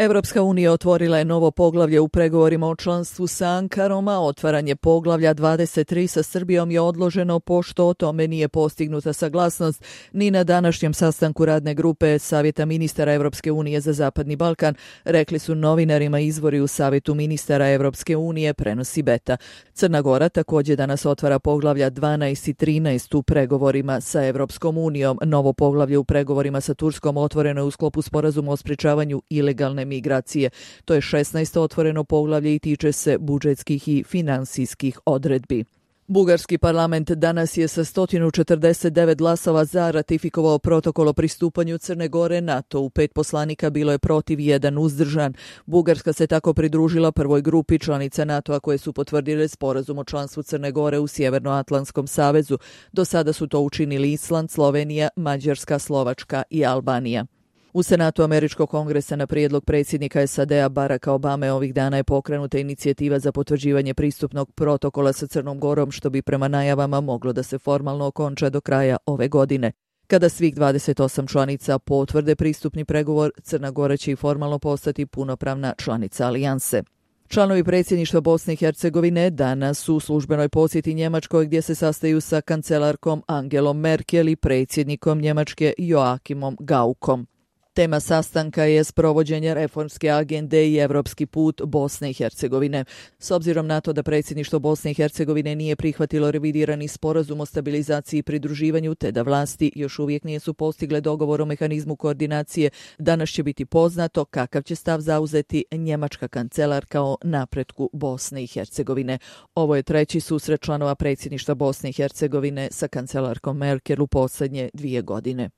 Evropska unija otvorila je novo poglavlje u pregovorima o članstvu sa Ankarom, a otvaranje poglavlja 23 sa Srbijom je odloženo pošto o tome nije postignuta saglasnost ni na današnjem sastanku radne grupe Savjeta ministara Evropske unije za Zapadni Balkan, rekli su novinarima izvori u Savjetu ministara Evropske unije, prenosi Beta. Crna Gora također danas otvara poglavlja 12 i 13 u pregovorima sa Evropskom unijom. Novo poglavlje u pregovorima sa Turskom otvoreno je u sklopu sporazuma o sprečavanju ilegalne migracije. To je 16. otvoreno poglavlje i tiče se budžetskih i finansijskih odredbi. Bugarski parlament danas je sa 149 glasova za ratifikovao protokol o pristupanju Crne Gore NATO. U 5 poslanika bilo je protiv, 1 uzdržan. Bugarska se tako pridružila prvoj grupi članica NATO-a koje su potvrdile sporazum o članstvu Crne Gore u Sjevernoatlantskom savezu. Do sada su to učinili Island, Slovenija, Mađarska, Slovačka i Albanija. U Senatu Američkog kongresa na prijedlog predsjednika SAD-a Baracka Obame ovih dana je pokrenuta inicijativa za potvrđivanje pristupnog protokola sa Crnom Gorom, što bi prema najavama moglo da se formalno okonča do kraja ove godine. Kada svih 28 članica potvrde pristupni pregovor, Crna Gora će i formalno postati punopravna članica alijanse. Članovi predsjedništva Bosne i Hercegovine danas su u službenoj posjeti Njemačkoj gdje se sastaju sa kancelarkom Angelom Merkel i predsjednikom Njemačke Joachimom Gaukom. Tema sastanka je sprovođenje reformske agende i evropski put Bosne i Hercegovine. S obzirom na to da predsjedništvo Bosne i Hercegovine nije prihvatilo revidirani sporazum o stabilizaciji i pridruživanju, te da vlasti još uvijek nisu postigle dogovor o mehanizmu koordinacije, danas će biti poznato kakav će stav zauzeti njemačka kancelarka o napretku Bosne i Hercegovine. Ovo je treći susret članova predsjedništva Bosne i Hercegovine sa kancelarkom Merkel u posljednje 2 godine.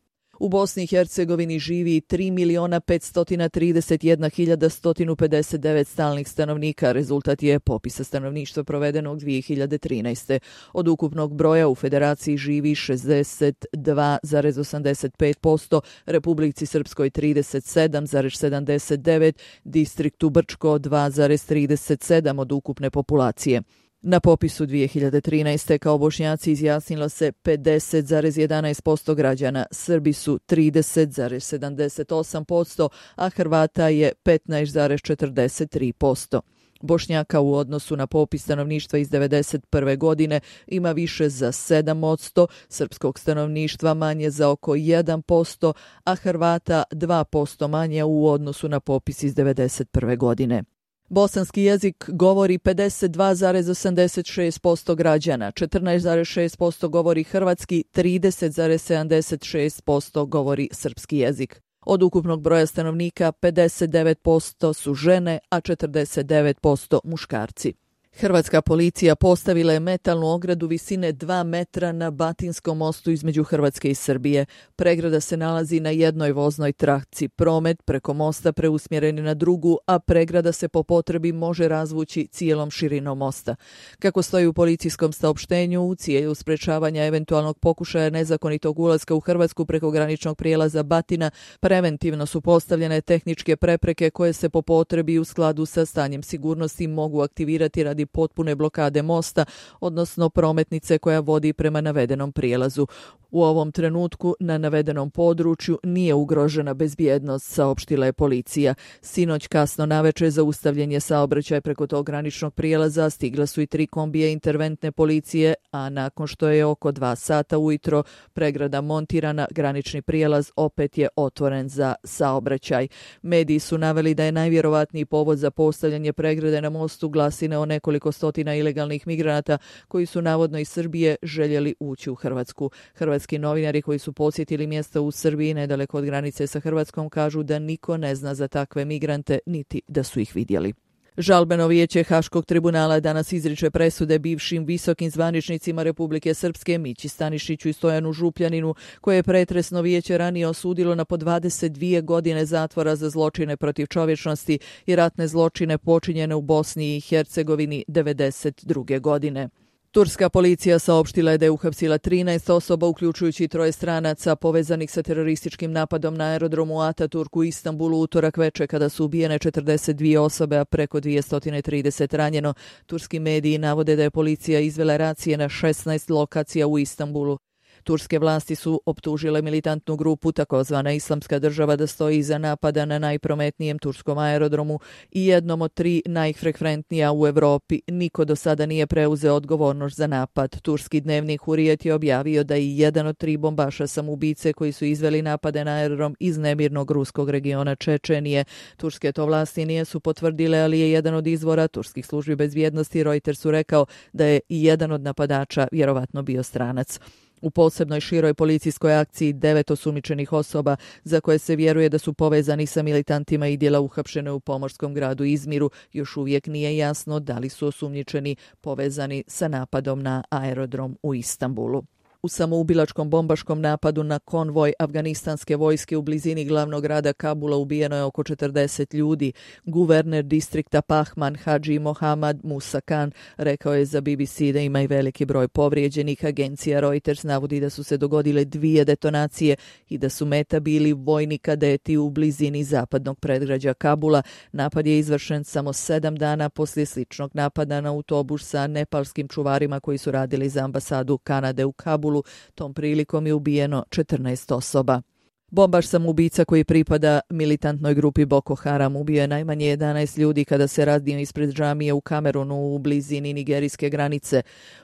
U Bosni i Hercegovini živi 3.531.159 stalnih stanovnika. Rezultat je popisa stanovništva provedenog 2013. Od ukupnog broja u federaciji živi 62,85%, Republici Srpskoj 37,79%, distriktu Brčko 2,37% od ukupne populacije. Na popisu 2013. kao Bošnjaci izjasnilo se 50,11% građana, Srbi su 30,78%, a Hrvata je 15,43%. Bošnjaka u odnosu na popis stanovništva iz 1991. godine ima više za 7%, srpskog stanovništva manje za oko 1%, a Hrvata 2% manje u odnosu na popis iz 1991. godine. Bosanski jezik govori 52,86% građana, 14,6% govori hrvatski, 30,76% govori srpski jezik. Od ukupnog broja stanovnika 59% su žene, a 49% muškarci. Hrvatska policija postavila je metalnu ogradu visine 2 metra na Batinskom mostu između Hrvatske i Srbije. Pregrada se nalazi na jednoj voznoj traci. Promet preko mosta preusmjeren je na drugu, a pregrada se po potrebi može razvući cijelom širinom mosta. Kako stoji u policijskom saopštenju, u cilju sprečavanja eventualnog pokušaja nezakonitog ulaska u Hrvatsku preko graničnog prijelaza Batina, preventivno su postavljene tehničke prepreke koje se po potrebi u skladu sa stanjem sigurnosti mogu aktivirati radi potpune blokade mosta, odnosno prometnice koja vodi prema navedenom prijelazu. U ovom trenutku na navedenom području nije ugrožena bezbjednost, saopštila je policija. Sinoć kasno navečer zaustavljen je saobraćaj preko tog graničnog prijelaza, stigla su i 3 kombija interventne policije, a nakon što je oko 2 sata ujutro pregrada montirana, granični prijelaz opet je otvoren za saobraćaj. Mediji su naveli da je najvjerovatniji povod za postavljanje pregrade na mostu glasine o nekoliko stotina ilegalnih migranata koji su navodno iz Srbije željeli ući u Hrvatsku. Hrvatski novinari koji su posjetili mjesta u Srbiji nedaleko od granice sa Hrvatskom kažu da niko ne zna za takve migrante niti da su ih vidjeli. Žalbeno vijeće Haškog tribunala danas izriče presude bivšim visokim zvaničnicima Republike Srpske Mići Stanišiću i Stojanu Župljaninu, koje je pretresno vijeće ranije osudilo na po 22 godine zatvora za zločine protiv čovječnosti i ratne zločine počinjene u Bosni i Hercegovini 1992. godine. Turska policija saopštila je da je uhapsila 13 osoba, uključujući 3 stranaca povezanih sa terorističkim napadom na aerodromu Ataturk u Istanbulu utorak veče kada su ubijene 42 osobe, a preko 230 ranjeno. Turski mediji navode da je policija izvela racije na 16 lokacija u Istanbulu. Turske vlasti su optužile militantnu grupu takozvana Islamska država da stoji iza napada na najprometnijem turskom aerodromu i jednom od 3 najfrekventnija u Europi. Niko do sada nije preuzeo odgovornost za napad. Turski dnevnik Hurijet je objavio da je jedan od 3 bombaša samoubice koji su izveli napade na aerodrom iz nemirnog ruskog regiona Čečenije. Turske to vlasti nisu potvrdile, ali je jedan od izvora turskih službi bezbjednosti Reutersu rekao da je i jedan od napadača vjerovatno bio stranac. U posebnoj široj policijskoj akciji 9 osumnjičenih osoba za koje se vjeruje da su povezani sa militantima IDIL-a uhapšene u pomorskom gradu Izmiru. Još uvijek nije jasno da li su osumnjičeni povezani sa napadom na aerodrom u Istanbulu. U samoubilačkom bombaškom napadu na konvoj afganistanske vojske u blizini glavnog grada Kabula ubijeno je oko 40 ljudi. Guverner distrikta Pahman Hadži Mohammad Musa Khan rekao je za BBC da ima i veliki broj povrijeđenih. Agencija Reuters navodi da su se dogodile 2 detonacije i da su meta bili vojni kadeti u blizini zapadnog predgrađa Kabula. Napad je izvršen samo 7 dana poslije sličnog napada na autobus sa nepalskim čuvarima koji su radili za ambasadu Kanade u Kabulu. Tom prilikom je ubijeno 14 osoba. Bombaš samoubica koji pripada militantnoj grupi Boko Haram ubio je najmanje 11 ljudi kada se raznio ispred džamije u Kamerunu u blizini nigerijske granice.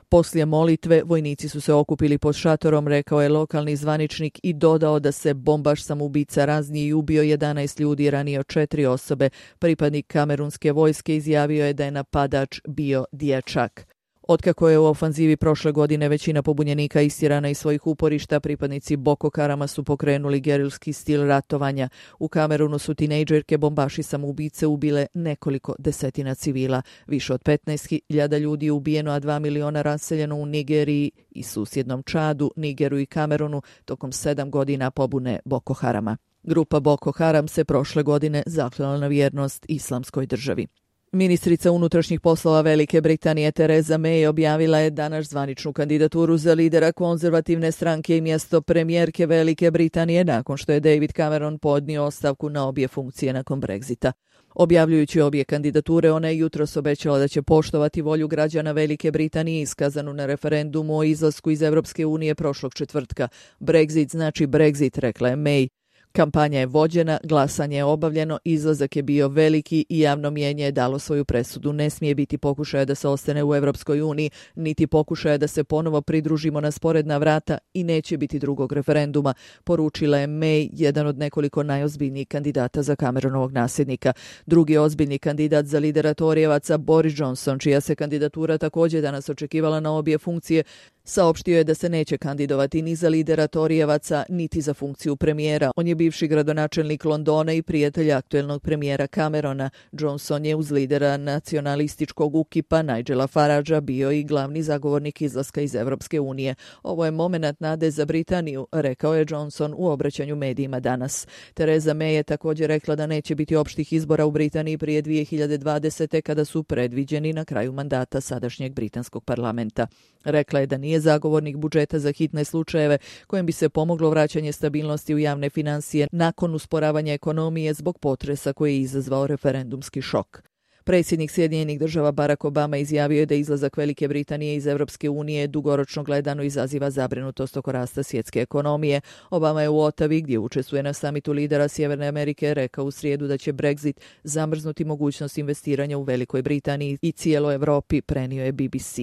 Poslije molitve vojnici su se okupili pod šatorom, rekao je lokalni zvaničnik i dodao da se bombaš samoubica raznio i ubio 11 ljudi i ranio 4 osobe. Pripadnik kamerunske vojske izjavio je da je napadač bio dječak. Otkako je u ofanzivi prošle godine većina pobunjenika istjerana iz svojih uporišta, pripadnici Boko Harama su pokrenuli gerilski stil ratovanja. U Kamerunu su tinejdžerke bombaši samoubice ubile nekoliko desetina civila. Više od 15.000 ljudi je ubijeno, a 2 miliona raseljeno u Nigeriji i susjednom Čadu, Nigeru i Kamerunu tokom 7 godina pobune Boko Harama. Grupa Boko Haram se prošle godine zaklela na vjernost Islamskoj državi. Ministrica unutrašnjih poslova Velike Britanije Theresa May objavila je danas zvaničnu kandidaturu za lidera konzervativne stranke i mjesto premijerke Velike Britanije nakon što je David Cameron podnio ostavku na obje funkcije nakon Brexita. Objavljujući obje kandidature, ona je jutros obećala da će poštovati volju građana Velike Britanije iskazanu na referendumu o izlasku iz Europske unije prošlog četvrtka. Brexit znači Brexit, rekla je May. Kampanja je vođena, glasanje je obavljeno, izlazak je bio veliki i javno mnijenje je dalo svoju presudu. Ne smije biti pokušaja da se ostane u Europskoj uniji, niti pokušaja da se ponovo pridružimo na sporedna vrata i neće biti drugog referenduma, poručila je May, jedan od nekoliko najozbiljnijih kandidata za Cameronovog nasljednika. Drugi ozbiljni kandidat za lidera Torijevaca, Boris Johnson, čija se kandidatura također danas očekivala na obje funkcije, saopštio je da se neće kandidovati ni za lidera Torijevaca, niti za funkciju premijera. On je bivši gradonačelnik Londona i prijatelj aktuelnog premijera Camerona. Johnson je uz lidera nacionalističkog UKIP-a Nigela Faragea bio i glavni zagovornik izlaska iz Europske unije. Ovo je momenat nade za Britaniju, rekao je Johnson u obraćanju medijima danas. Theresa May je također rekla da neće biti opštih izbora u Britaniji prije 2020. kada su predviđeni na kraju mandata sadašnjeg britanskog parlamenta. Rekla je da nije zagovornik budžeta za hitne slučajeve kojim bi se pomoglo vraćanje stabilnosti u javne financije nakon usporavanja ekonomije zbog potresa koji je izazvao referendumski šok. Predsjednik Sjedinjenih država Barack Obama izjavio je da izlazak Velike Britanije iz Europske unije dugoročno gledano izaziva zabrinutost oko rasta svjetske ekonomije. Obama je u Ottawi, gdje učestvuje na samitu lidera Sjeverne Amerike, rekao u srijedu da će Brexit zamrznuti mogućnost investiranja u Velikoj Britaniji i cijeloj Europi, prenio je BBC.